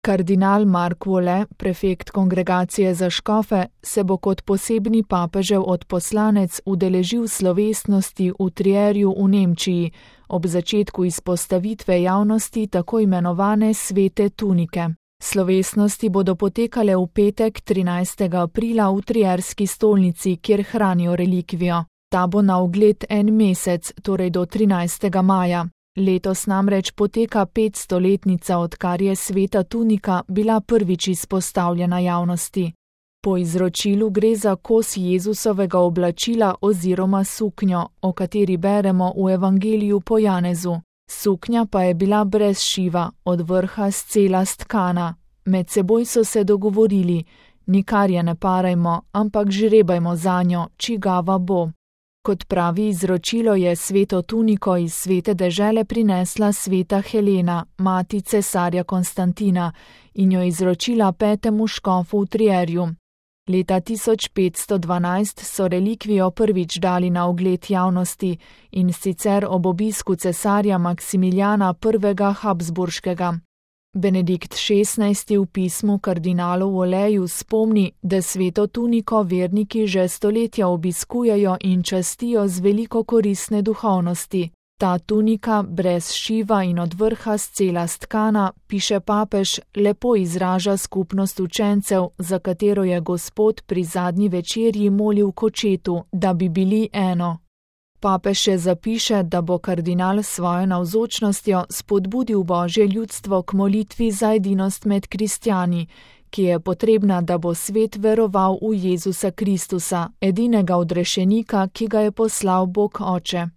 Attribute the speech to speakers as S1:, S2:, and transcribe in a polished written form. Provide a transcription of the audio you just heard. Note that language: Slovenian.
S1: Kardinal Mark Vole, prefekt kongregacije za škofe, se bo kot posebni papežev odposlanec udeležil slovesnosti v Trierju v Nemčiji ob začetku izpostavitve javnosti tako imenovane svete tunike. Slovesnosti bodo potekale v petek 13. aprila v Trierski stolnici, kjer hranijo relikvijo. Ta bo na ogled en mesec, torej do 13. maja. Letos namreč poteka 500-letnica, odkar je sveta tunika bila prvič izpostavljena javnosti. Po izročilu gre za kos Jezusovega oblačila oziroma suknjo, o kateri beremo v Evangeliju po Janezu. Suknja pa je bila brez šiva, od vrha scela stkana. Med seboj so se dogovorili, nikar je ne parajmo, ampak žrebajmo zanjo, čigava bo. Kot pravi izročilo, je sveto tuniko iz svete dežele prinesla sveta Helena, mati cesarja Konstantina, in jo izročila 5. škofu v Trierju. Leta 1512 so relikvijo prvič dali na ogled javnosti, in sicer ob obisku cesarja Maksimiljana I. Habsburškega. Benedikt XVI. V pismu kardinalu Voleju spomni, da sveto tuniko verniki že stoletja obiskujejo in častijo z veliko koristne duhovnosti. Ta tunika, brez šiva in od vrha scela stkana, piše papež, lepo izraža skupnost učencev, za katero je Gospod pri zadnji večerji molil k očetu, da bi bili eno. Papež še zapiše, da bo kardinal s svojo navzočnostjo spodbudil Božje ljudstvo k molitvi za edinost med kristjani, ki je potrebna, da bo svet veroval v Jezusa Kristusa, edinega odrešenika, ki ga je poslal Bog Oče.